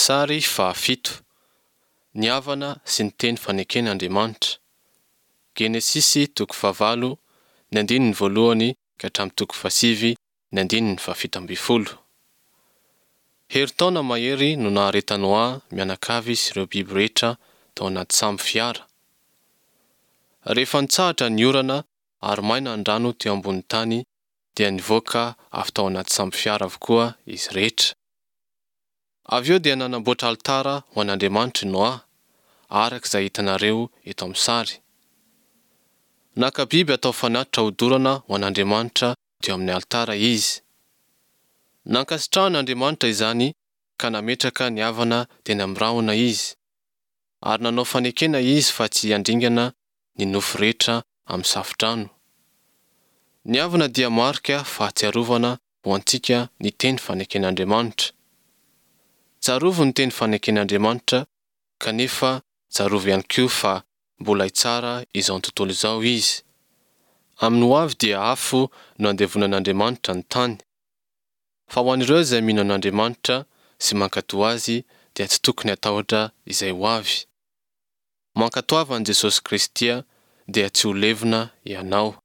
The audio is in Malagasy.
Sary fahafito. Ny avana sy ny teny faneken' Andriamanitra. Genesisy toko fahavalo, ny andininy voalohany ka hatramin'ny toko fahasivy, ny andininy fahafito ambin'ny folo. Herintaona mahery no naharetan'i Noa mianakavy sy ireo biby rehetra tao anaty sambo fiara. Rehefa nitsahatra ny orana ary maina ny rano teo ambonin'ny tany dia nivoaka avy tao anaty sambo fiara avokoa izy rehetra. Avy eo dia nanamboatra alitara ho an'Andriamanitra i Noa, araka izay hitanareo eto amin'ny sary. Naka biby atao fanatitra hodorana ho an'Andriamanitra teo amin'ny alitara izy. Nankasitrahan'Andriamanitra izany ka nametraka ny avana teny amin'ny rahona izy, ary nanao fanekena izy fa tsy handringana ny nofo rehetra amin'ny safo-drano. Ny avana dia marika fahatsiarovana ho antsika ny teny faneken'Andriamanitra. Tsarovy ny teny faneken'Andriamanitra, kanefa tsarovy ihany koa fa mbola hitsara izao tontolo izao Izy. Amin'ny ho avy dia afo no handevonan'Andriamanitra ny tany. Fa ho an'ireo izay mino an'Andriamanitra sy mankatò Azy dia tsy tokony hatahotra izay ho avy. Mankatoava an'i Jesosy Kristy dia tsy ho levona ianao.